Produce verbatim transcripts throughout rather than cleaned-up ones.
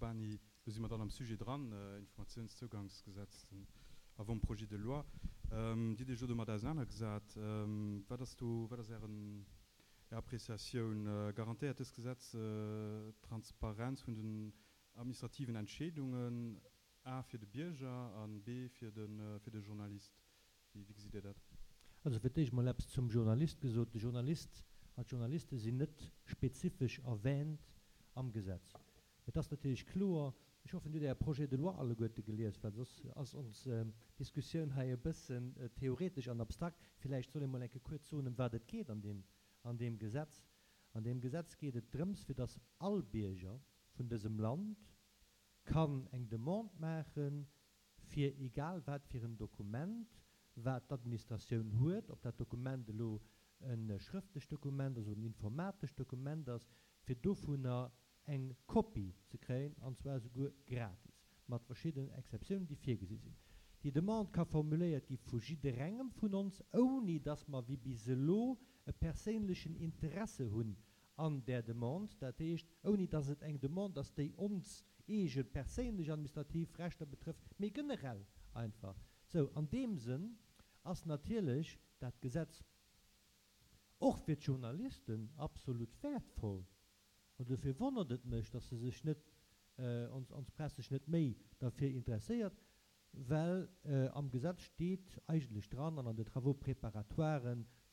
Urbany, do si mer dann am Sujet dran, Informatiounszougangsgesetz, den Avant-projet de loi. Dir hutt Iech elo domat ausenanergesat. Wat ass do, wat ass Ären, Är Appréciatioun? Garantéiert dëst Gesetz d'Transparenz vun den administrativen Entscheedungen, a fir de Bierger an b fir de, fir de Journalist? Wéi, wéi gesitt Dir dat? Also fir d'éischt mol eppes zum Journalist gesot, De Journalist an d'Journaliste sinn net spezifesch erwähnt am Gesetz. Et ass natierlech kloer, ech hoffen, Dir hutt Äre Projet de loi alleguerte gelies, well soss ass ons Diskussioun hei e bëssen theoretesch an abstrakt. Villäicht soll ee mol eng Kéier kuerz soen, ëm wat et geet an deem, an deem Gesetz. An deem Gesetz geet et drëms, fir dass all Bierger vun dësem Land kann eng Demande maachen, fir egal wat fir en Dokument, wat d'Administratioun huet, ob dat Dokument elo e schrëftlecht Dokument ass oder en informatescht Dokument ass, fir dovunner eng Kopie ze kréien, an zwar esouguer gratis, mat verschiddenen Exceptiounen, déi virgesi sinn. Déi Demande ka formuléiert gi vu jidderengem vun ons, ouni dass mer wéi bis elo e perséinlechen Interesse hunn an där Demande, dat heescht, ouni dass et eng Demande ass, déi ons eege perséinlech administrativ Rechter betrëfft, mee generell einfach. Sou, an deem Sënn ass natierlech dat Gesetz och fir d'Journalisten absolut wäertvoll. An dofir wonnert et mech, dass se sech net, ons, ons Press sech net méi derfir interesséiert, well am Gesetz steet eigentlech dran an an de Travaux préparatoires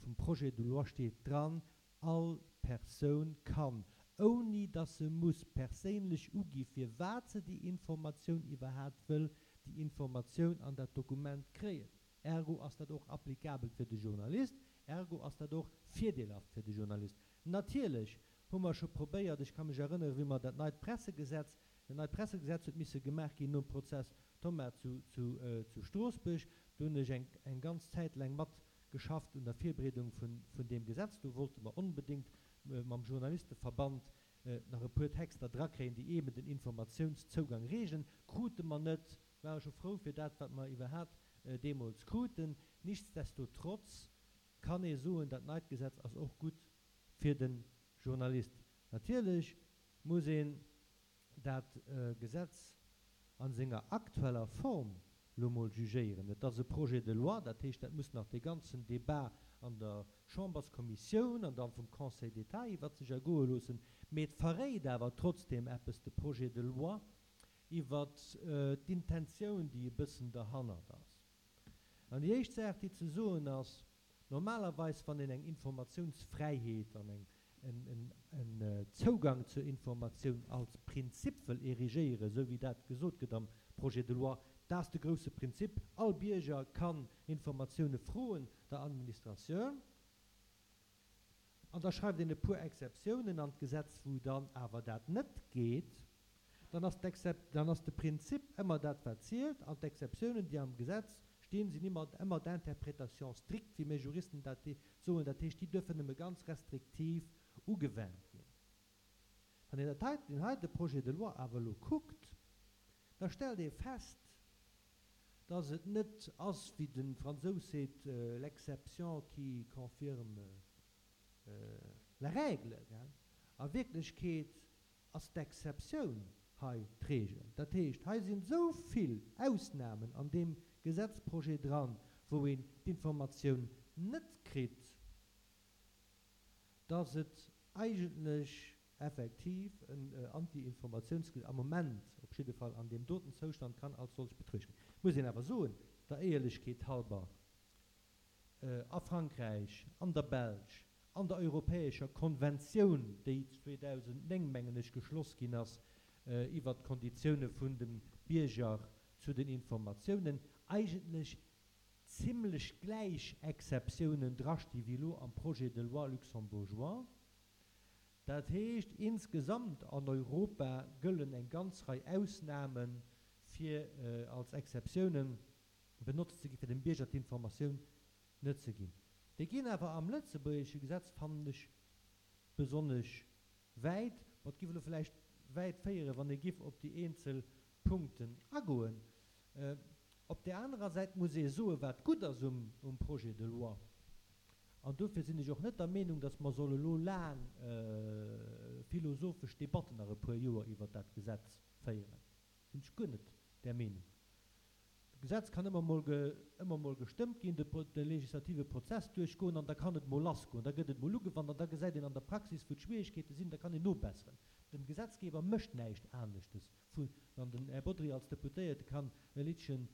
vum Projet de loi steet dran, All Persoun kann, ouni dass se muss perséinlech ugi firwat se déi Informatioun iwwerhaapt wëll, déi Informatioun an dat Dokument kréien. Ergo ass dat och applicabel fir de Journalist, ergo ass dat och virdeelhaft fir de Journalist. Natierlech hu mer scho probéiert, ech ka mech erënnere wéi mer dat neit Pressegesetz, dat neit Pressegesetz huet misse gemaach ginn nom Prozess Thomas zu, zu, zu Stroossbuerg, do hunn ech eng, eng ganz Zäit laang mat geschafft un der Virbereedung vun, vun deem Gesetz. Do wollte mer onbedéngt mam Journalisteverband nach e puer Texter drakréien, déi eeben den Informatiounszougang reegelen. Krute mer net, ware scho frou fir dat, wat mer iwwerhaapt deemools kruten. Nichtsdestotrotz kann ee soen, dat neit Gesetz ass och gutt fir de Journalist. Natierlech muss een dat Gesetz a senger aktueller Form lo mol jugéieren. Et ass e Projet de loi, dat heescht, dat muss nach dee ganzen Débat an der Chamberskommissioun an da vum Conseil d'État iwwert sech ergoe loossen. Mee et verréit awer trotzdeem eppes, de Projet de loi, iwwert d'Intentioun, déi e bëssen derhannert ass. An déi éischt Saach, déi ze soen ass, Normalerweis, wann een eng Informatiounsfräiheet an eng, en, en Zougang zur Informatioun als Prinzip wëll érigéieren, esou wéi dat gesot gëtt am Projet de loi, dat ass de grouse Prinzip, all Bierger kann Informatioune froen der Administratioun, an da schreift een e puer Exceptiounen an d'Gesetz, wou dann awer dat net geet, dann ass d'Excep, dann ass de Prinzip ëmmer dat wat zielt, an d'Exceptiounen, déi am Gesetz stinn, sinn ëmmer, ëmmer d'interprétation stricte, wéi mir Juristen dat soen, dat heescht, déi duerfen nëmme ganz restriktiv ugewennt ginn. Wann een dat hei, deen heite Projet de loi awer elo kuckt, da stellt ee fest, dass et net ass, wéi de Fransous seet, l'exception qui confirme la règle, gell. A Wierklechkeet ass d'Exceptioun hei d'Regel. Dat heescht, hei sinn esou vill Ausnahmen an deem Gesetzprojet dran, wou een d'Informatioun net kritt, dass et eigentlech effektiv en Anti-Informatiounsgesetz am Moment op jidde Fall an deem doten Zoustand kann als solch betruecht ginn. Muss een awer soen, der Éierlechkeet halber, a Frankräich, an der Belsch, an der europäescher Konventioun, déi zweedausendnéng, mengen ech, geschloss ginn ass iwwert d'Konditioune vun dem Bierger zu den Informatiounen, eigentlech zimlech gläich Exceptiounen drasti wéi elo am Projet de loi luxembourgeois. Dat heescht, insgesamt an Europa gëllen eng ganz Rei Ausnahmen, fir als Exceptiounen benotzt ze ginn, fir dem Bierger d'Informatioun net ze ginn. Déi ginn awer am lëtzebuergesche Gesetz, fannen ech, besonnesch wäit. Ma et giff elo vläicht wäit féieren, wann ee giff op déi eenzel Punkten agoen. Op där anerer Säit muss ee soen, wat gutt ass um Projet de loi, An dofir sinn ech och net der Meenung, dass mer solle lo laang philosophesch Debatten nach e puer Joer iwwert dat Gesetz féieren. Sinn ech guer net där Meenung. D'Gesetz kann ëmmer mol ëmmer mol gestëmmt ginn, de de legislative Prozess duerchgoen an da kann et mol lassgoen. Da gëtt et mol ugewannt an da gesäit een an der Praxis, wou d'Schwierigkeete sinn, da kann een nobesseren. Den Gesetzgeber mécht näischt aneschtes, vu wann den Här Bodry als Deputéierte kann e Liddchen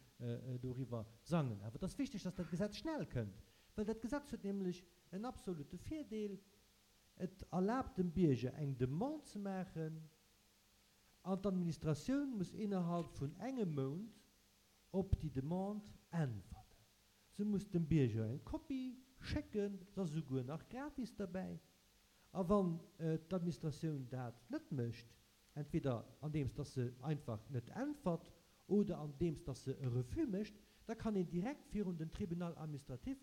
doriwwer sangen. Awer et ass wichteg, dass dat Gesetz schnell kënnt, well dat Gesetz huet nämlech en absolute Virdeel, Et erlaabt dem Bierger eng Demande ze maachen an d'Administratioun muss innerhalb vun engem Mount op déi Demande äntwerten. Se muss dem Bierger eng Kopie schécken, se ass esouguer nach gratis derbäi. A wann d'Administratioun dat net mécht, entweder andeems dass se einfach net äntwert oder andeems dass se e Refus mécht, da kann een direkt virun den Tribunal administratif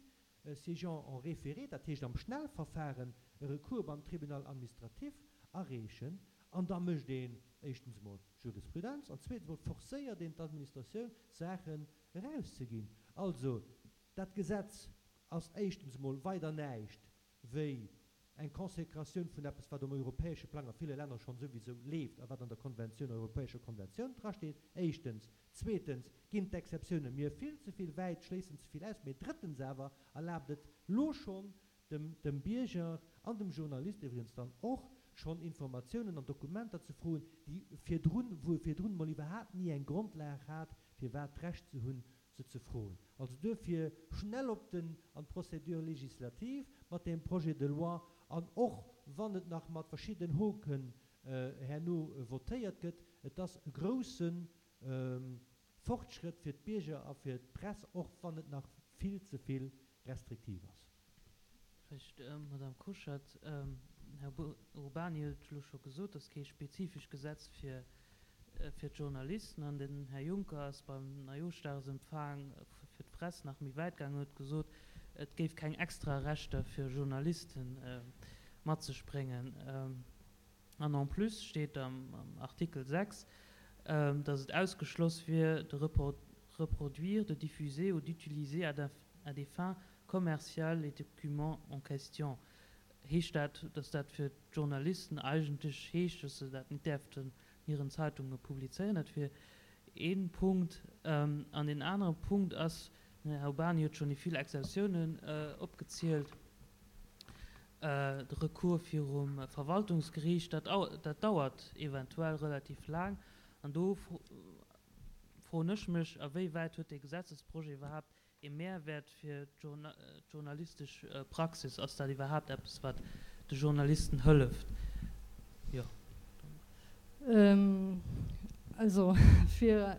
siégeant en référé, dat heescht am Schnellverfahren, e Recours beim Tribunal administratif areechen. An da mécht een éischtens emol Jurisprudenz an zweetens emol forcéiert een d'Administratioun, Saachen erauszeginn. Also, dat Gesetz ass éischtens emol weider näischt wéi eng Consécratioun vun eppes, wat um europäesche Plang a ville Länner schonn souwisou leeft a wat an der Konventioun, europäescher Konventioun drasteet, éischtens. Zweetens ginn d'Exceptiounen mir vill ze vill wäit, schléissen ze vill aus. Mee drëttens awer erlaabt et lo schonn dem, dem Bierger an dem Journalist iwwregens dann och, schonn Informatiounen an Dokumenter ze froen, déi virdrun, wou e virdrun emol iwwerhaapt ni eng Grondlag hat, firwat d'Recht ze hunn, se ze froen. Also duerfir schnell op den, an d'Procédure législative mat deem Projet de loi, an och wann et nach mat verschiddenen Hoken herno votéiert gëtt, et ass e grouse Fortschrëtt fir d'Bierger a fir d'Press, och wann et nach vill ze vill restriktiv ass. Vläicht, Madame Koschat, den Här Urbany huet elo scho gesot, dass kee spezifesch Gesetz fir fir d'Journalisten, an den Här Juncker ass beim Neijooschdagsempfang fir d'Press nach méi wäit gaangen, huet gesot, et géif keng extra Rechter fir Journaliste mat sech bréngen. An en plus steet am Artikel sechs, dass et ausgeschloss wier, de reproduire, de diffuser ou d'utiliser à des fins commerciales les documents en question. Heescht dat, dass dat fir d'Journalisten eigentlech heescht, dass se dat net däerften an hiren Zeitunge publizéieren? Dat wier ee Punkt. An deen anere Punkt ass, den Här Urbany huet schonn déi vill Exceptiounen opgezielt, de Recours virum Verwaltungsgeriicht, dat dat dauert eventuell relativ laang. An do froen ech mech, a wéi wäit huet dee Gesetzesprojet iwwerhaapt ee Mehrwäert fir d'journalistesch Praxis? Ass dat iwwerhaapt eppes, wat de Journalisten hëlleft? Jo. Also, fir,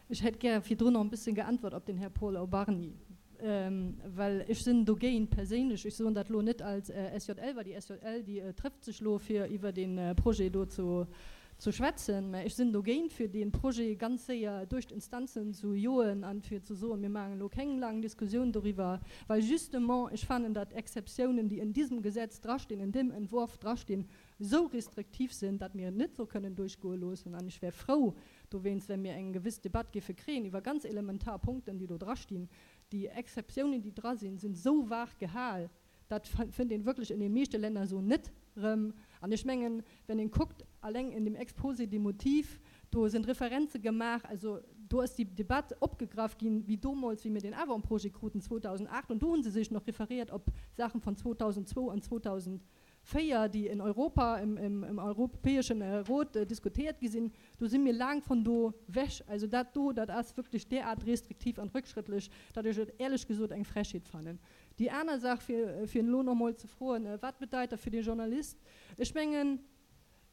ech hätt gär virdrun nach e bëssen geäntwert op den Här Paul Urbany, well ech sinn dogéint perséinlech, ech soen dat elo net als S J L, well déi S J L, déi trëfft sech elo, fir iwwer dee Projet do zu zu schwätzen, mä ech sinn dogéint, fir dee Projet ganz séier duerch d'Instanzen zu joen an fir ze soen, mir maachen elo keng laang Diskussioun doriwwer, well justement ech fannen, datt Exceptiounen, déi in diesem Gesetz drastinn, in dem Entwurf drastinn, esou restriktiv sinn, datt mir et net esou kënnen duerchgoe loossen. An ech wär frou dowéinst, wa mir eng gewëss Debatt géife kréien iwwer ganz elementar Punkten, déi do drastinn. Déi Exceptiounen, déi dra sinn, sinn esou vag gehal, dat fënnt een wierklech in den meeschte Länner esou net erëm. An ech mengen, wenn een kuckt, alleng in dem Exposé des motifs, do sinn Referenze gemaach, also do ass déi Debatt opgegraff ginn, wéi domols, wéi mir den Avant-projet kruten zweedausendacht, an do hu se sech nach referiert op Saachen von zweedausendzwou an zweedausendvéier, déi in Europa, im, im, im Europäischen Rot diskutiert gi sinn. Do si mir laang von do wech. Also dat do, dat ass wierklech derart restriktiv an rückschrëttlech, datt ech et éierlech gesot eng Frechheet fannen. Déi aner Saach, fir, fir elo nach emol ze froen, wat bedeit dat fir de Journalist? Ech mengen,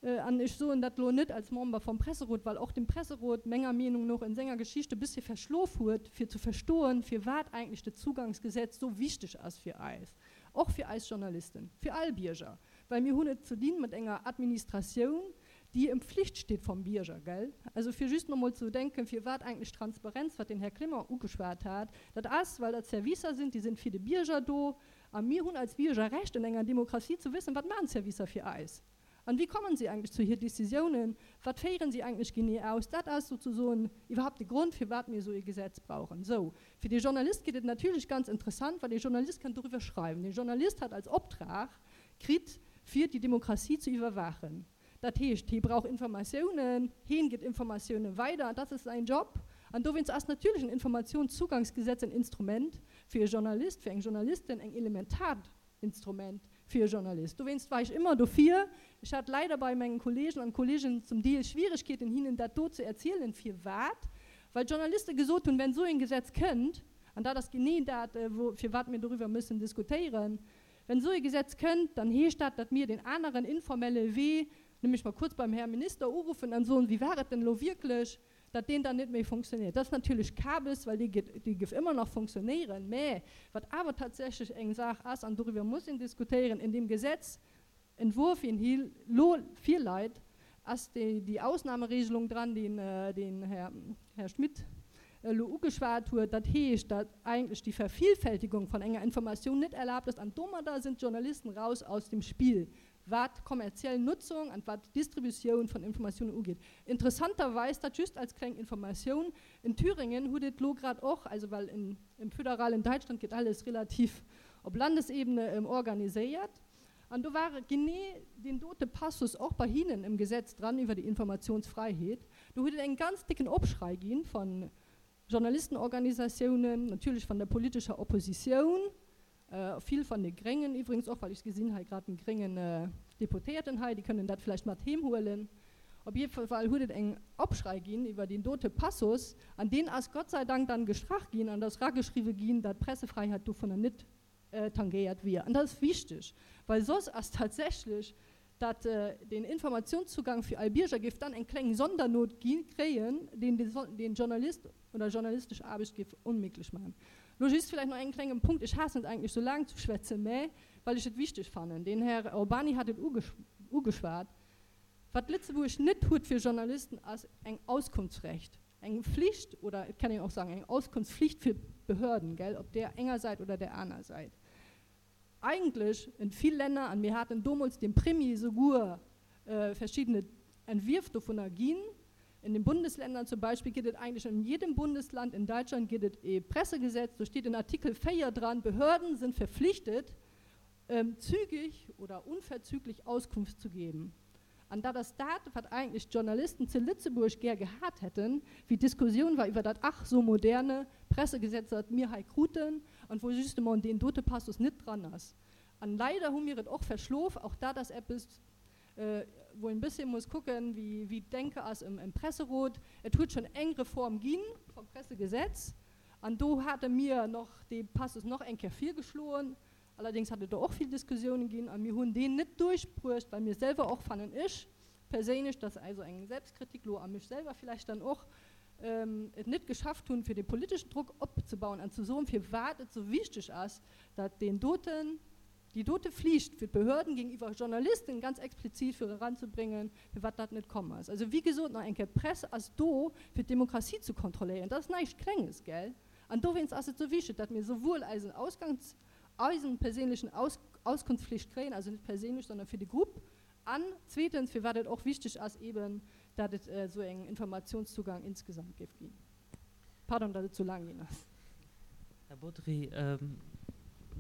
an ech soen dat elo net als Member vom Presserot, well och de Presserot menger Meenung no in senger Geschichte e bëssche verschlof huet, fir ze verstoen, firwat eigentlech dat Zugangsgesetz sou wichteg ass fir eis, och fir eis Journalisten, fir all Bierger, well mir hunn et ze dinn mat enger Administratioun, déi em Pflicht steet vom Bierger, gell? Also fir just nach emol ze denken, firwat eigentlech Transparenz, wat den Här Clement ugeschwat hat, dat ass, well dat Servicer sinn, déi sinn fir de Bierger do, a mir hunn als Bierger Recht, in enger Demokratie ze wëssen, wat maachen d'Servicer fir eis? An wéi kommen si eigentlech zu hir Decisiounen? Wat féieren si eigentlech genee aus? Dat ass souzesoen iwwerhaapt de Grond, firwat mir esou ee Gesetz brauchen. Sou, fir de Journalist gëtt et natierlech ganz interessant, well de Journalist kann doriwwer schreiwen. De Journalist hat als Optrag kritt, fir déi Demokratie ze iwwerwaachen. Dat heescht, hie brauch Informatiounen, hien gëtt Informatiounen weider, dat ass säin Job. An dowéinst ass natierlech en Informatiounszugangsgesetz en Instrument fir e Journalist, fir eng Journalistin, eng elementaart Instrument fir e Journalist. Dowéinst war ech ëmmer dofir. Ech hat leider bei mengen Kollegen an Kolleginnen zum Deel Schwieregkeeten, hinnen dat do ze erzielen, firwat, well d'Journaliste gesot hunn, wenn esou en Gesetz kënnt, an dat ass genee dat, wou, firwat mir doriwwer müssen diskutéieren, wenn esou e Gesetz kënnt, dann heescht dat, datt mir den aneren informelle Wee, nämlech mol kuerz beim Här Minister uruffen an soen, wéi war et denn elo wierklech, datt deen dann net méi funktionéiert. Dat ass natierlech Kabes, well dee geet, dee géif ëmmer nach funktionéieren. Mä wat awer tatsächlech eng Saach ass, an doriwwer muss een diskutéieren, in deem Gesetzentwurf, wéi en hei elo virläit, ass déi, déi Ausnahmeregelung dran, déi den Här, Här Schmit elo ugeschwat huet. Dat heescht, datt eigentlech déi Vervielfältigung vun enger Informatioun net erlaabt ass, an domadder sinn d'Journalisten raus aus dem Spill, wat kommerziell Nutzung an wat d'Distributioun vun Informatiounen ugeet. Interessanterweis, dat just als kleng Informatioun, in Thüringen huet et elo grad och, also well in, im föderalen Deutschland gëtt alles relativ op Landesebene organiséiert, an do war genee deen dote Passus och bei hinnen im Gesetz dran iwwer déi Informationsfreiheet. Do huet et eng ganz dicken Opschrei ginn von Journalistenorganisatiounen, natierlech von der politescher Oppositioun, vill von de Gréngen iwwregens och, well ech gesinn hei grad en gréngen Deputéierten hei, déi kënnen dat vläicht mat heem huelen. Op jidde Fall huet et eng Opschrei ginn iwwer deen dote Passus an deen ass Gott sei Dank dann gestrach ginn an ass erageschriwwe ginn, datt d'Pressefräiheet dovunner net tangéiert wier. An dat ass wichteg, well soss ass tatsächlech datt den Informationszugang fir all Bierger géif dann eng kleng Sondernot gi kréien, deen den Journalist oder journalistesch Aarbecht géif onméiglech maachen. Lo just vläicht nach en klengen Punkt, ech haassen et eigentlech sou laang ze schwätzen, mä well ech et wichteg fannen, den Här Urbany hat et ugeschwat, Wat Lëtzebuerg net huet fir Journalisten ass eng Auskunftsrecht, eng Flicht oder et kann een och sagen eng Auskunftsflicht fir Behörden, gell, op där enger Säit oder där aner Säit. Eigentlech in vill Länner, an mir haten domols dem Premier souguer verschiddene Entwierf dovunner ginn, in den Bundesländern zum Beispiel gëtt et eigentlech in jedem Bundesland in Deutschland gëtt et e Pressegesetz, do steet in Artikel véier dran, Behörden sind verpflichtet, zügig oder unverzüglich Auskunft zu geben. An dat ass dat, wat eigentlech d'Journalisten zu Lëtzebuerg gär gehat hätten, wéi d'Diskussioun war iwwer dat ach so moderne Pressegesetz, dat mir hei kruten an wou justement deen dote Passus net dran ass. An leider hu mir et och verschlof, och dat ass eppes, wou een e bësschen muss kucken, wéi wéi d'Denke ass im im Presserot. Et huet schonn eng Reform ginn vum Pressegesetz an do hate mir nach dee Passus nach eng Kéier virgeschloen. Allerdéngs hat et do och vill Diskussiounen ginn a mir hunn deen net duerchbruecht, well mir selwer och, fannen ech perséinlech, dat ass also eng Selbstkritik lo a mech selwer villäicht dann och, et net geschafft hunn, fir dee politeschen Drock opzebauen an ze soen, firwat et sou wichteg ass, datt deen doten, déi dote Flicht fir d'Behörden géintiwwer Journalisten ganz explizit fir eranzebréngen, firwat dat net komm ass. Also wéi gesot, nach eng Kéier, d'Press ass do, fir d'Demokratie ze kontrolléieren. Dat ass näischt Klenges, gell? An dowéinst ass et sou wichteg, datt mir souwuel eisen Ausgangs-, eisen perséinlechen Aus Auskunftspflicht kréien, also net perséinlech, sondern fir de Grupp, an zweetens, firwat et och wichteg ass eben, datt et esou eng Informationszugang insgesamt géif ginn. Pardon, datt et sou laang ginn ass. Här Bodry,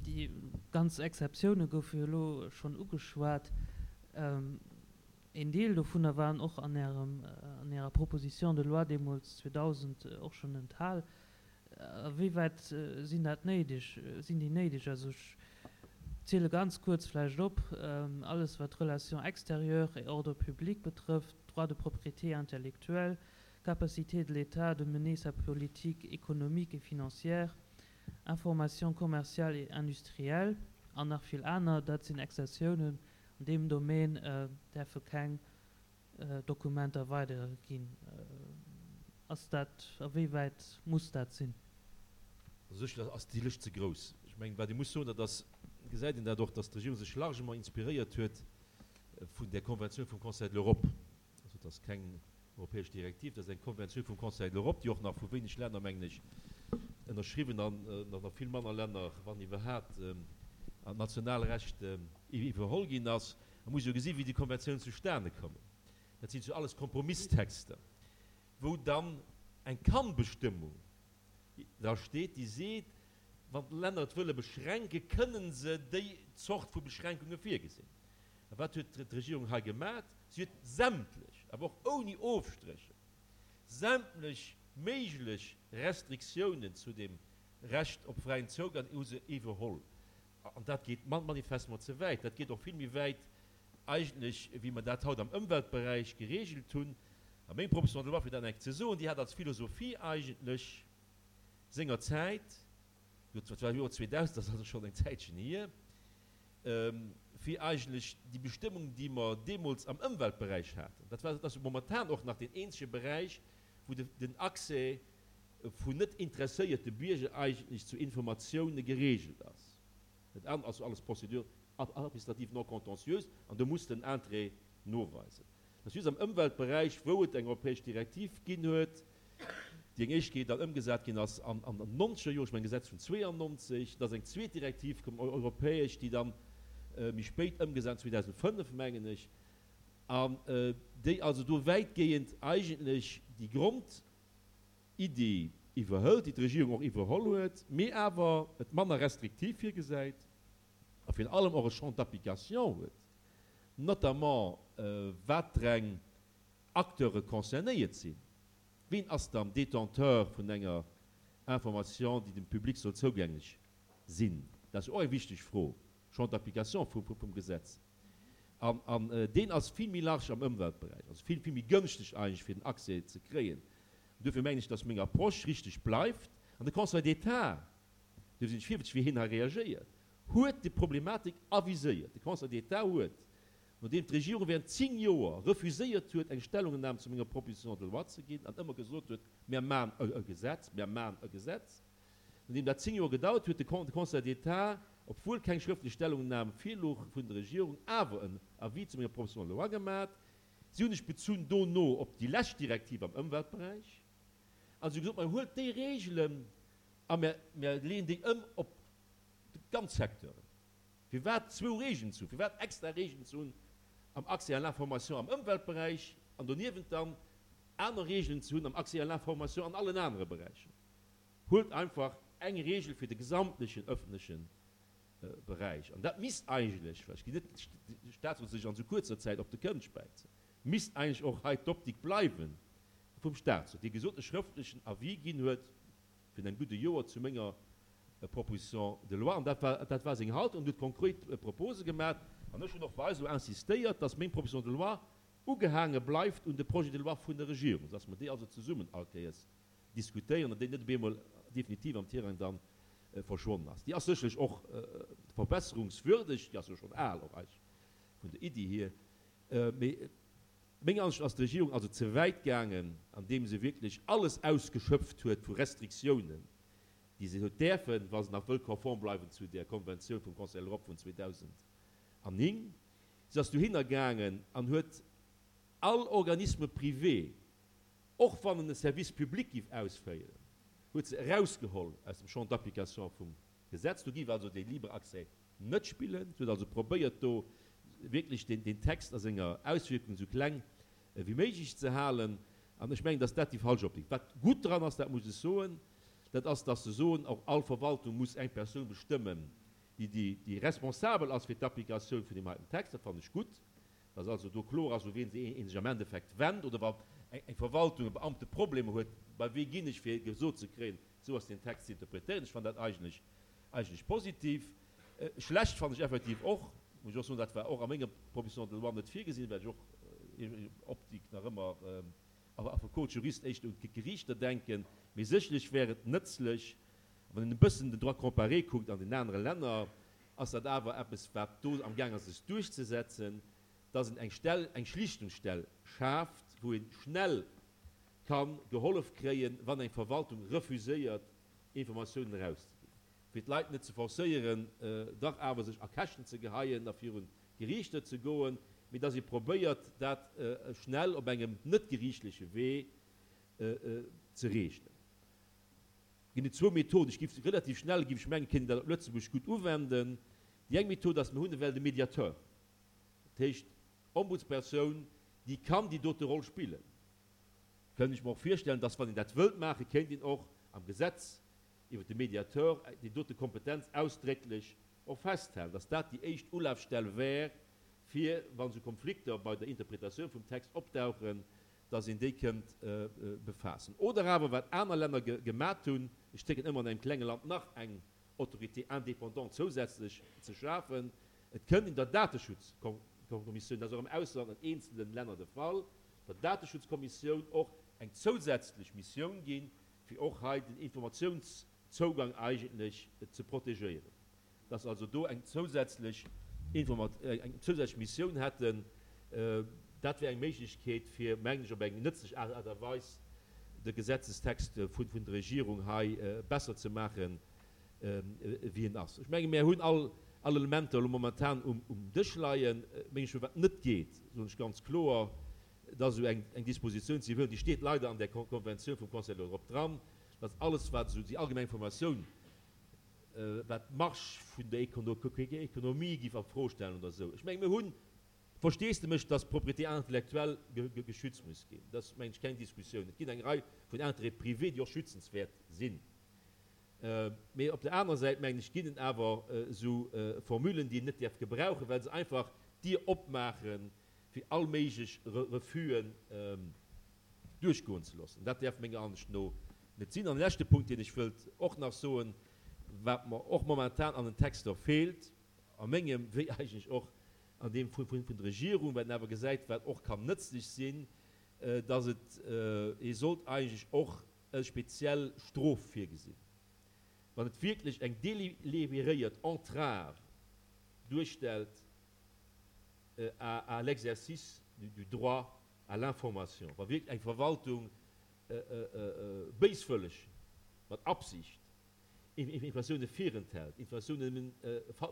déi ganz Exceptioune goufe jo elo schonn ugeschwat. Een Deel dovunner waren och an Ärem, an Ärer Proposition de loi deemools zweedausend och schonn enthal. A wéi wäit sinn dat néideg, sinn déi néideg? Also ech ziele ganz kuerz vläicht op, alles wat Relations extérieures et ordre public betrëfft, Droit de propriété intellectuelle, capacité de l'État de mener sa politique économique et financière, information commerciale et industrielle an nach vill aner, dat sinn Exzessiounen an deem Domaine däerfe keng Dokumenter weiderginn. Ass dat, a wéi wäit muss dat sinn? A sech ass déi Lëscht ze grouss. Ech mengen, wat ee muss soen, dat ass, gesäit een dat och, dass d'Regierung sech largement inspiréiert huet vun där Konventioun vum Conseil de l'Europe. Also et ass keng europäesch Direktiv, dat ass eng Konventioun vum Conseil de l'Europe, déi och nach vu wéineg Länner, mengen ech, ënnerschriwwen an nach vill manner Länner, wann iwwerhaapt, an d'Nationalrecht iwwerholl ginn ass. Man muss jo gesinn, wéi déi Konventiounen zustane kommen. Dat sinn jo alles Kompromisstexter, wou dann eng Kann-Bestëmmung dra steet, déi seet, wann d'Länner et wëlle beschränken, kënnen se déi Zort vu Beschränkunge virgesinn. A wat huet d'Regierung hei gemat? Si huet sämtlech, awer och ouni Ofstrécher, sämtlech méiglech Restriktiounen zu dem Recht op fräien Zougang hu se iwwerholl. An dat geet manifestement ze wäit. Dat geet och vill méi wäit eigentlech, wéi mer dat haut am Ëmweltberäich geregelt hunn. A meng Proposition de loi, fir dat nach eng Kéier ze soen, déi hat als Philosophie eigentlech sengerzäit, dat war am Joer zweedausend, dat ass also schonn eng Zäitchen hier, fir eigentlech déi Bestëmmung, déi mer deemools am Ëmweltberäich haten, dat war, dat ass momentan och nach deen eenzege Beräich, wou den Accès vun net interesséierte Bierger eigentlech zu Informatioune geregelt ass. Dat anert ass jo alles Procédure administrative non contentieuse an do muss den Interêt noweisen. Dat ass just am Ëmweltberäich, wou et eng europäesch Direktiv ginn huet, déi eng éischt Kéier dann ëmgesat ginn ass an den nonzeger Joren, ech mengen Gesetz vun zweeannonzeg, da ass eng zweet Direktiv komm, europäesch, déi dann méi spéit ëmgesat, zweedausendfënnef mengen ech, an déi also do wäitgehend eigentlech déi Grondiddi iwwerhëlt, déi d'Regierung och iwwerholl huet, mee awer et manner restriktiv virgesäit a virun allem och e Champ d'application huet, notamment watereng Acteure concernéiert sinn. Wien ass dann Détenteur vun enger Information, déi dem Public soll zougänglech sinn? Dat ass jo och eng wichteg Fro, Champ d'application vum Gesetz. An deen ass vill méi large am Ëmweltberäich, also vill, vill méi gënschteg eigentlech, fir den Accès ze kréien. Duerfir mengen ech, dass meng Approche richteg bleift. An de Conseil d'État, duerfir sinn ech virwëtzeg, wéi hien hei reagéiert, huet déi Problematik aviséiert. De Conseil d'État huet, nodeem d'Regierung während zéng Joer refuséiert huet, eng Stellungnahme zu menger Proposition de loi ze ginn an ëmmer gesot huet, Mir maachen e Gesetz, mir maachen e Gesetz, nodeem dat zéng Joer gedauert huet, de Conseil d'État, obwuel keng schrëftlech Stellungnahme virlouch vun der Regierung, awer en Avis zu menger Proposition de loi gemat. Si hunn sech bezunn dono op déi lescht Direktiv am Ëmweltberäich a si hu gesot, Mir huelt déi Regelen a mir leeën déi ëm op ganz Secteuren. Firwat zwou Regeln ze hunn? Firwat extra Regeln ze hunn am Accès à l'information am Ëmweltberäich an doniewent dann aner Regeln ze hunn am Accès à l'information an allen anere Beräicher? Huelt einfach eng Regel fir de gesamtlechen öffentleche Beräich. An dat misst eigentlech, well ech ginn net de Statsrot sech an esou kuerzer Zäit op de Kënn späizen, misst eigentlech och hei d'Optik bleiwe vum Statsrot, dee gesot e schrëftlechen Avis ginn huet virun engem gudde Joer zu menger Proposition de loi. An dat war, dat war seng Haltung an huet konkret Propose gemaach. An ech hunn och bei eis elo insistéiert, dass meng Proposition de loi ugehaange bleift un de Projet de loi vun der Regierung, dass mer déi also zesummen all Kéiers diskutéieren an déi net op eemol definitiv am Tirang dann verschwonnen ass. Déi ass sécherlech och verbesserungswürdeg, déi ass jo schonn al och eigentlech vun der Iddi hier, mee menger Ansicht no ass d'Regierung also ze wäit gaangen, andeem se wierklech alles ausgeschöpft huet vu Restriktiounen, déi se huet däerfen, wa se nach wëll konform bleiwen zu där Konventioun vum Conseil de l'Europe vun zweedausendnéng. Si ass dohinner gaangen an huet all Organisme privé, och wann en e Service public giff ausféieren, huet se erausgeholl aus dem Champ d'application vum Gesetz. Do giff also dee libre Accès net spillen. Si huet also probéiert, do wierklech deen Text a senger Auswierkung esou kleng wéi méiglech ze halen. An ech mengen, dass dat déi falsch Optik. Wat gutt dran ass, dat muss ech soen, dat ass, dass se soen, och all Verwaltung muss eng Persoun bestëmmen, déi, déi responsabel ass fir d'Applikatioun vun deem heiten Text. Dat fannen ech gutt, dass also do kloer ass, u wien ee sech am Endeffekt wennt oder wa eng Verwaltung, e Beamte Problemer huet, bei wee ginn ech, fir gesot ze kréien, esou ass deen Text ze interpretéieren. Ech fannen dat eigentlech, eigentlech positiv. Schlecht fannen ech effektiv och, muss ech och soen, dat war och a menger Proposition de loi net virgesinn, well ech och Optik nach ëmmer Affekot, Jurist éischter un d'Geriichter denken, mee sécherlech wär et nëtzlech, wann een e bëssen den Droit comparé kuckt an den anere Länner, ass dat awer eppes, wat do amgaang ass sech duerchzesetzen, dass een eng Stell, eng Schlichtungsstell schaaft, wou ee schnell ka gehollef kréien, wann eng Verwaltung refuséiert, Informatiounen erauszeginn, fir d'Leit net ze forcéieren, dach awer sech a Käschten ze geheien a virun d'Geriichter ze goen, mee dass ee probéiert, dat schnell op engem net geriichtleche Wee ze regelen. Ginn et zwou Methoden. Ech géif relativ schnell, géif ech mengen, kéint een dat op Lëtzebuerg gutt uwenden. Déi eng Method ass, mir hunn ewell de Mediateur. Dat heescht, Ombudspersoun, déi kann déi dote Roll spillen. Kënnt ech mer och virstellen, dass, wann een dat wëllt maachen, kéint een och am Gesetz iwwert de Mediateur déi dote Kompetenz ausdrécklech och festhalen, dass dat déi éischt Ulafstell wär, fir, wa sou Konflikter bei der Interpretatioun vum Text opdauchen, dass een déi kënnt befaassen. Oder awer, wat aner Länner gemat hunn, ech zécken ëmmer an engem klenge Land nach eng Autorité indépendante zousätzlech ze schafen, et kënnt een der Dateschutzkommissioun, dat ass och am Ausland an eenzele Länner de Fall, der Dateschutzkommissioun och eng zousätzlech Missioun ginn, fir och hei den Informatiounszougang eigentlech ze protegéieren, dass also do eng zousätzlech eng zousätzlech Missioun hätten. Dat wär eng Méiglechkeet, fir, mengen ech, op eng nëtzlech Aart a Weis de Gesetzestext vun der Regierung hei besser ze maachen, wéi en ass. Ech menge mir hunn all all Elementer elo momentan um um Dësch leien. Meng ech, wat net geet, soen ech ganz kloer, dat ass esou eng eng Dispositioun ze iwwerhuelen, déi steet leider an där Konventioun vum Conseil de l'Europe dran, dass alles wat esou déi allgemeng Informatioun, wat d'Marche vun der Ekonomie géif a Fro stellen oder esou. Ech menge mir hunn Versteesdemech, dass d'Propriété intellectuelle geschützt muss ginn. Dat ass, mengen ech, keng Diskussioun. Et ginn eng Rei vun Intérêts privés, déi och schützenswäert sinn. Mee op der anerer Säit, mengen ech, ginn et awer esou Formulen, déi een net däerf gebrauchen, well se einfach d'Dier opmaache fir all méiglech Refus'en duerchgoen ze loossen. Dat däerf menger Ansicht no net sinn. An e leschte Punkt, deen ech wëllt och nach soen, wat mer och momentan an den Texter feelt, a mengem wéi eigentlech och an deem vun der Regierung, wat een awer gesäit, wat och kann nëtzlech sinn, dass et ee sollt eigentlech och e speziell Strof virgesinn, wann et wierklech eng délibéréiert Entrave duerstellt à l'exercice du droit à l'information, wa wierklech eng Verwaltung béiswëlleg, mat Absicht Informatioune virenthält, Informatioune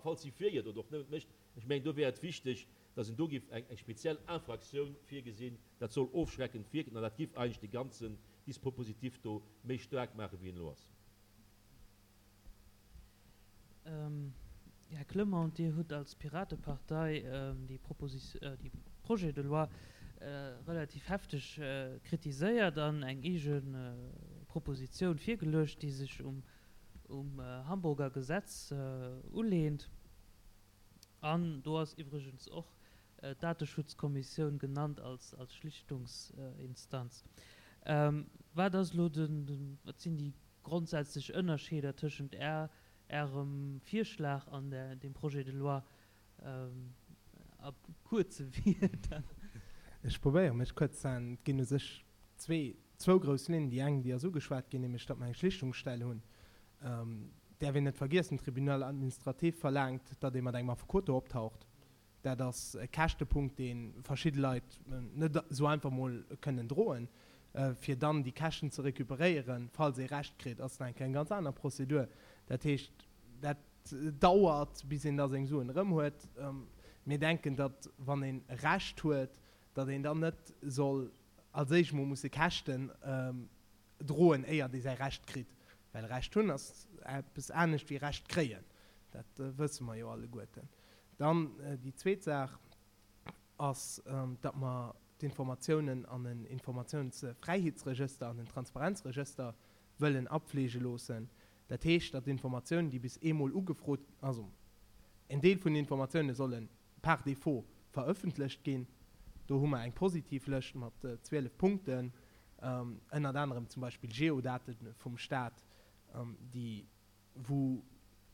falsifiéiert oder och nëmmen mécht. Ech mengen, do wär et wichteg, dass een do giff eng speziell Infraktioun virgesinn. Dat soll ofschreckend wierken an dat giff eigentlech de ganzen Dispopositif do méi staark maachen, wéi en elo ass. Här Clement, Dir hutt als Piratepartei déi Projet de loi relativ hefteg kritiséiert an eng eege Propositioun virgeluecht, déi sech um Hamburger Gesetz uleent. An do ass iwwregens och d'Dateschutzkommissioun genannt als Schlichtungsinstanz. Wat ass elo den, wat sinn déi grondsätzlech Ënnerscheeder tëschent Ärem Virschlag an dem Projet de loi a kuerze Wierder? Ech probéiere mech kuerz ze halen. Et ginn u sech zwee, zwou grouss Linnen. Déi eng, déi ass ugeschwat ginn, nämlech datt mer eng Schlichtungsstell hunn. Däerf een net vergiessen, den Tribunal administratif verlaangt, datt ee mat engem Affekot do optaucht. Dat ass e Käschtepunkt, dee verschidde Leit net esou einfach mol kënnen droen. Fir dann déi Käschten ze recuperéieren, falls ee Recht kritt, ass nach eng Kéier eng ganz aner Prozedur. Dat heescht, dat dauert, bis een da seng Suen erëm huet. Mir denken, datt, wann ee Recht huet, datt een dann net soll als éischt mol musse Käschten droen, éiert ee säi Recht kritt. Well Recht hunn ass eppes anescht wéi Recht kréien. Dat wësse mer jo alleguerten. Dann déi zweet Saach ass, datt mer d'Informatiounen an en Informatiounsfräiheetsregëster an en Transparenzregëster wëllen apfleege loossen. Dat heescht, datt d'Informatiounen, déi bis eemol ugefrot, also en Deel vun den Informatioune solle par défaut verëffentlecht ginn. Do hu mer eng positiv Lëscht mat zwielef Punkten, ënnert anerem zum Beispill Geodate vum Staat, déi wou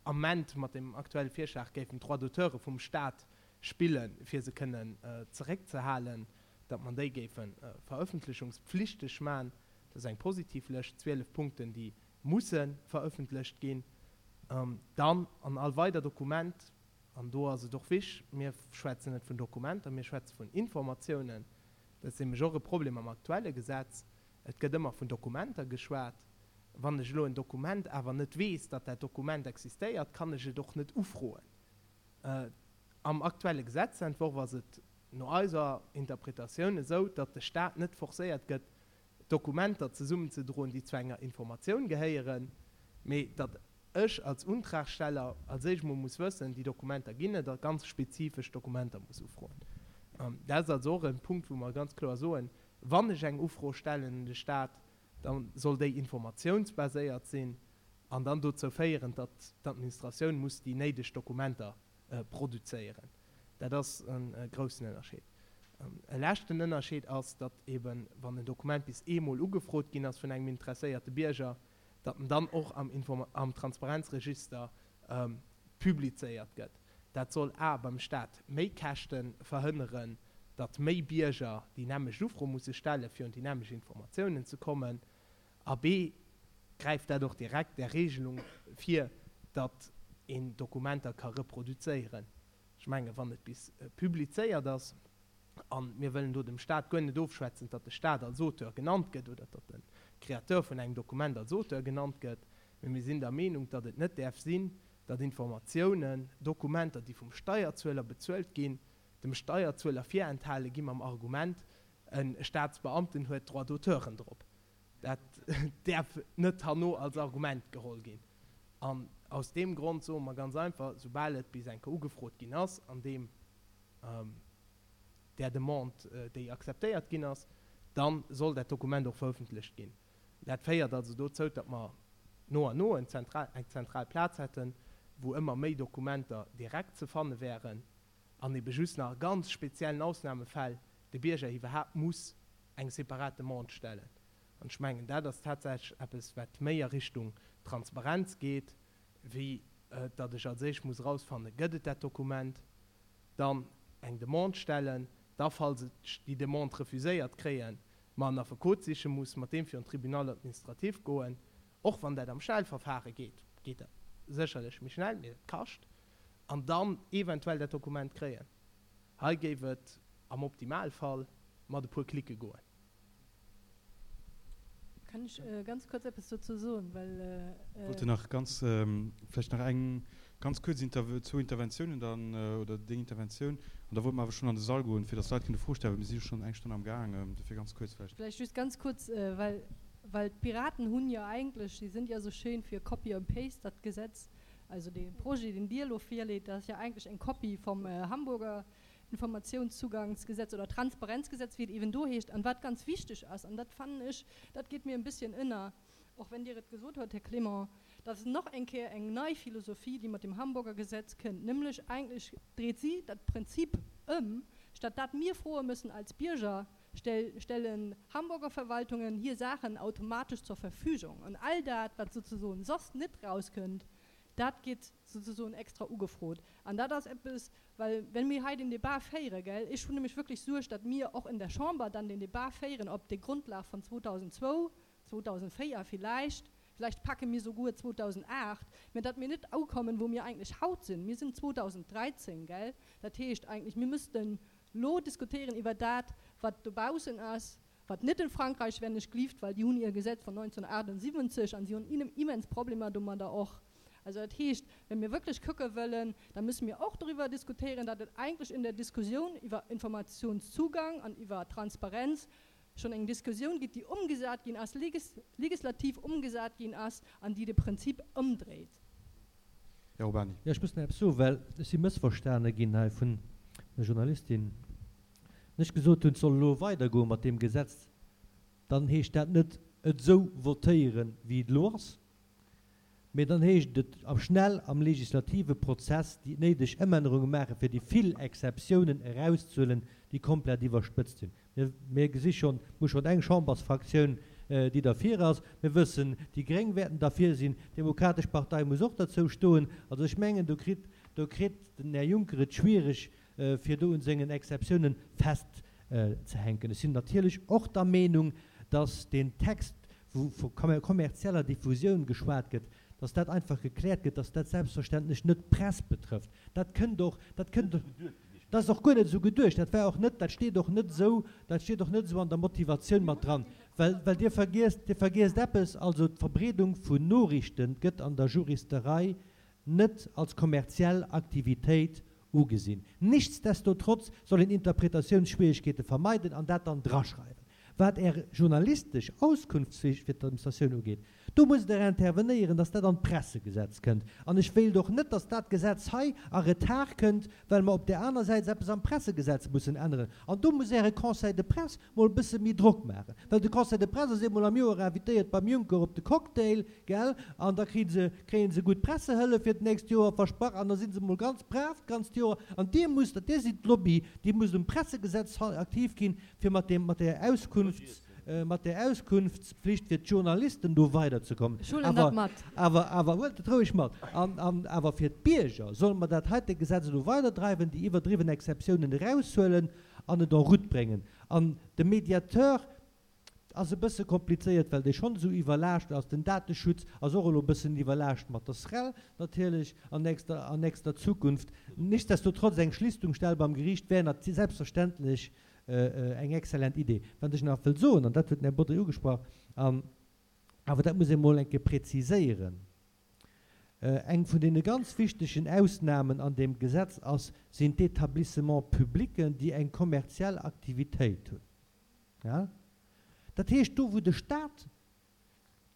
Ament mat dem aktuelle Virschlag géifen d'Droits d'auteure vum Staat spillen, fir se kënnen zeréckzehalen, datt mer déi géife verëffentlechungspflichteg maachen. Dat ass eng positiv Lëscht, zwielef Punkten, déi musse verëffentlecht ginn. Dann an all weider Dokument, an do ass et och wich, mir schwätzen net vun Dokumenter, mir schwätze vun Informatiounen, dat ass nämlech och e Problem am aktuelle Gesetz, et gëtt ëmmer vun Dokumenter geschwat. Wann ech elo en Dokument awer net weess, datt dat Dokument existéiert, kann ech et och net ufroen. Am aktuelle Gesetzentworf ass et no eiser Interpretatioun esou, datt de Staat net forcéiert gëtt, Dokumenter zesummenzedroen, déi zu enger Informatioun gehéieren, mee datt ech als Untragsteller als éischt mol muss wëssen, déi Dokumenter ginn et, a ganz spezifesch Dokumenter muss ufroen. Dat ass also och e Punkt, wou mer ganz kloer soen, Wann ech eng Ufro stellen un de Stat, da soll déi informatiounsbaséiert sinn an dann dozou féieren, datt d'Administratioun muss déi néideg Dokumenter produzéieren. Dat ass e groussen Ënnerscheed. E leschten Ënnerscheed ass, datt eben, wann en Dokument bis eemol ugefrot ginn ass vun engem interesséierte Bierger, datt en dann och am Transparenzregister publizéiert gëtt. Dat soll a beim Stat méi Käschte verhënneren, datt méi Bierger déi nämmlecht Ufro musse stellen, fir un déi nämmlecht Informatiounen ze kommen, a b gräift dat och direkt där Regelung vir, datt een Dokumenter ka reproduzéieren. Ech mengen, wann et bis publizéiert ass, a mir wëllen do dem Stat guer net ofschwätzen, datt de Stat als Auteur genannt gëtt oder datt de Créateur vun engem Dokument als Auteur genannt gëtt, mee mir sinn der Meenung, datt et net däerf sinn, datt Informatiounen, Dokumenter, déi vum Steierzueler bezuelt ginn, dem Steierzueler virenthale gi mam Argument, e Staatsbeamten huet Droits d'auteuren drop. Dat däerf net herno als Argument geholl ginn. An aus deem Grond soe mer ganz einfach, soubal et bis eng Kéier ugefrot ginn ass, an deem där Demande, déi akzeptéiert ginn ass, da soll dat Dokument och verëffentlecht ginn. Dat féiert also dozou, datt mer no an no eng zentral Plaz hätten, wou ëmmer méi Dokumenter direkt ze fanne wären an ebe just nach a ganz speziellen Ausnamefäll de Bierger iwwerhaapt muss eng separat Demande stellen. An ech mengen, dat ass tatsächlech eppes, wat méi a Richtung Transparenz geet, wéi datt ech als éischt muss erausfannen, gëtt et dat Dokument, dann eng Demande stellen, da falls ech déi Demande refuséiert kréien, mer en Affekot siche muss, mat deem virun d'Tribunal administratif goen. Och wann dat am Schnellverfahre geet, geet dat sécherlech méi schnell, mee dat kascht, an dann eventuell dat Dokument kréien. Hei géif et am Optimalfall mat e puer Klicke goen. Kann ech ganz kuerz eppes dozou soen, well. Ech wollte nach ganz, vläicht nach eng ganz kuerz Interv-, zwou Interventiounen dann, oder deng Interventioun, an da wollte mer awer schonn an de Sall goen, fir dass d'Leit kënne Froe stellen, well mir si jo schonn eng Stonn am Gaang. Dofir ganz kuerz vläicht. Vläicht just ganz kuerz, well, well d'Piraten hunn jo eigentlech, si sind ja so schön für Copy and Paste, dat Gesetz, also dee Projet, deen Dir elo virleet, dat ass jo eigentlech eng Kopie vom Hamburger Informationszugangsgesetz oder Transparenzgesetz, wéi et eben do heescht. An wat ganz wichteg ass, an dat fannen ech, dat geet mir en bisschen ënner, och wenn Dir et gesot hutt, Här Clement, dat ass nach eng Kéier eng nei Philosophie, déi mat dem Hamburger Gesetz kënnt, nämlech eigentlech dreet si dat Prinzip ëm, statt dat mir froe müssen als Bierger, stell, stellen Hamburger Verwaltungen hier Saachen automatisch zur Verfügung. An all dat, wat souzesoen soss net rauskënnt, dat geet souzesoen extra ugefrot. An dat ass eppes, well wenn mir hei den Debat féiere, gell, ech hunn nämlech wierklech Suerg, datt mir och in der Chamber dann den Debat féieren op der Grundlag von zweitausendzwou, zweitausendvéier vielleicht, vielleicht packe mir souguer zweitausendacht, mä datt mir net ukommen, wou mir eigentlech haut sinn. Mir sinn zweitausenddräizéng, gell, dat heescht eigentlech, mir müssten lo diskutéieren iwwer dat, wat dobaussen ass, wat net in Frankreich wenn ech glieft, well déi hunn hir Gesetz von neunzehnhundertachtundsiwwenzeg an si hunn immens Problemer domadder och. Also dat heescht, wenn mir wierklech kucke wëllen, da müssen mir och doriwwer diskutéieren, datt et eigentlech in der Diskussioun iwwer Informationszugang an iwwer Transparenz schonn eng Diskussioun gëtt, déi ëmgesat ginn ass, legislativ ëmgesat ginn ass an déi de Prinzip ëmdréit. Här Urbany. Jo, ech muss nach eppes soen, well ech si mëssverstane ginn hei vun der Journalistin. Wann ech gesot hunn, et soll elo weidergoe mat deem Gesetz, dann heescht dat net, et esou votéieren, wéi et elo ass, mee dann heescht et am schnell am legislative Prozess déi néideg Ëmännerunge maachen, fir déi vill Exceptiounen erauszehuelen, déi komplett iwwerspëtzt sinn. Mir, mir gesi schonn, mir hu schonn eng Chambersfraktioun, déi derfir ass. Mir wëssen, déi Gréng wäerten derfir sinn, d'Demokratesch Partei muss och derzou stoen. Also ech mengen, do kritt, do kritt den Här Juncker et schwierig, fir do un sengen Exceptiounen festzehänken. Ech sinn natierlech och der Meenung, dass deen Text, wou vu kommerzieller Diffusioun geschwat gëtt, dass dat einfach gekläert gëtt, dass dat selbstverständlech net d'Press betrëfft. Dat kënnt och, dat kënnt och, dat ass och guer net esou geduecht, dat war och net, dat steet och net esou, dat steet och net esou an der Motivatioun mat dran. Well, well Dir vergiesst, Dir vergiesst eppes, also d'Verbreedung vun Noriichten gëtt an der Juristerei net als kommerziell Aktivitéit ugesinn. Nichtsdestotrotz soll een Interpretatiounsschwierigkeete vermeiden an dat dann draschreiwen. Wat Är journalistesch Auskunftsflicht fir d'Administratioun ugeet, do musst Der intervenéieren, dass dat an d'Pressegesetz kënnt. An ech wéilt och net, dass dat Gesetz hei a Retard kënnt, well mer op där aner Säit eppes am Pressegesetz mussen änneren. An do muss Äre Conseil de presse mol e bësse méi Drock maachen, well de Conseil de presse ass eemol am Joer invitéiert beim Juncker op de Cocktail, gell, an da kréie se, kréie se gutt Pressehëllef fir d'nächst Joer versprach an da si se mol ganz brav d'ganzt Joer. An Dir musst, Dir sidd d'Lobby, Dir musst um Pressegesetz aktiv ginn, fir mat deem, mat där Auskunfts, mat där Auskunftspflicht fir d'Journalisten do weiderzekommen. Ech huelen dat mat. Awer, awer, huelt et roueg mat. An, an awer fir d'Bierger solle mer dat heite Gesetz elo weiderdreiwen, déi iwwerdriwwen Exceptiounen eraushuelen an et en route bréngen. An de Mediateur ass e bësse komplizéiert, well dee schonn esou iwwerlaascht ass. Den Dateschutz ass och elo e bëssen iwwerlaascht mat der SREL natierlech an nächster, an nächster Zukunft. Nichtsdestotrotz, eng Schlichtungsstell beim Geriicht wär nat selbstverständlech eng exzellent Idee. Wat ech nach wëll soen, an dat huet den Här Bodry ugesprach, an awer dat muss ee mol eng Kéier präziséieren, Eng vun deene ganz wichtegen Ausnahmen an deem Gesetz ass, sinn d'Établissements publics, déi eng kommerziell Aktivitéit hunn. Dat heescht, do wou de Stat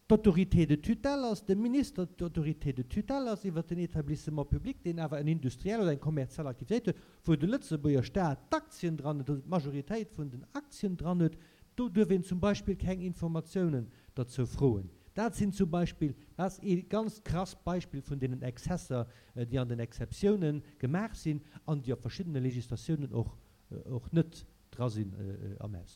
d'Autorité de tutelle ass, de Minister d'Autorité de tutelle ass iwwert den Établissement public, deen awer en industriell oder eng kommerziell Aktivitéit huet, wou de Lëtzebuerger Stat d'Aktien dran huet oder d'Majoritéit vun den Aktien dran huet, do duerf een zum Beispill keng Informatiounen derzou froen. Dat sinn zum Beispill, dat ass ee ganz krass Beispill vun deenen Exzesser, déi an den Exceptiounen gemaach sinn an déi a verschiddene Législatiounen och, och net dra sinn am Ausland.